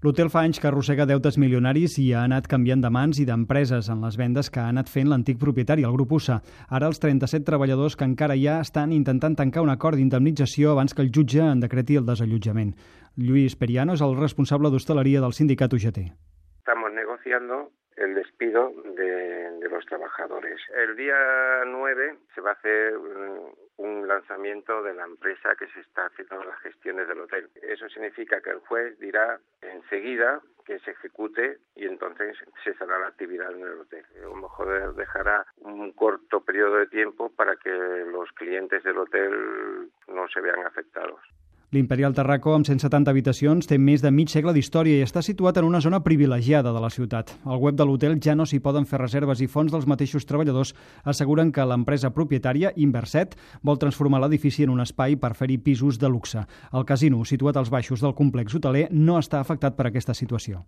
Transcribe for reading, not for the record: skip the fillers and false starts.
L'hotel fa anys que arrossega deutes milionaris i ha anat canviant de mans i d'empreses en les vendes que ha anat fent l'antic propietari, el grup USA. Ara els 37 treballadors que encara hi ha estan intentant tancar un acord d'indemnització abans que el jutge en decreti el desallotjament. Lluís Periano és el responsable d'hostaleria del sindicat UGT. Estamos negociando el despido de los trabajadores. El día 9 se va a hacer un lanzamiento de la empresa que se está haciendo las gestiones del hotel. Eso significa que el juez dirá enseguida que se ejecute y entonces cesará la actividad en el hotel. A lo mejor dejará un corto periodo de tiempo para que los clientes del hotel no se vean afectados. L'Imperial Tarraco, amb 170 habitacions, té més de mig segle d'història i està situat en una zona privilegiada de la ciutat. Al web de l'hotel ja no s'hi poden fer reserves i fonts dels mateixos treballadors asseguren que l'empresa propietària, Inverset, vol transformar l'edifici en un espai per fer-hi pisos de luxe. El casino, situat als baixos del complex hoteler, no està afectat per aquesta situació.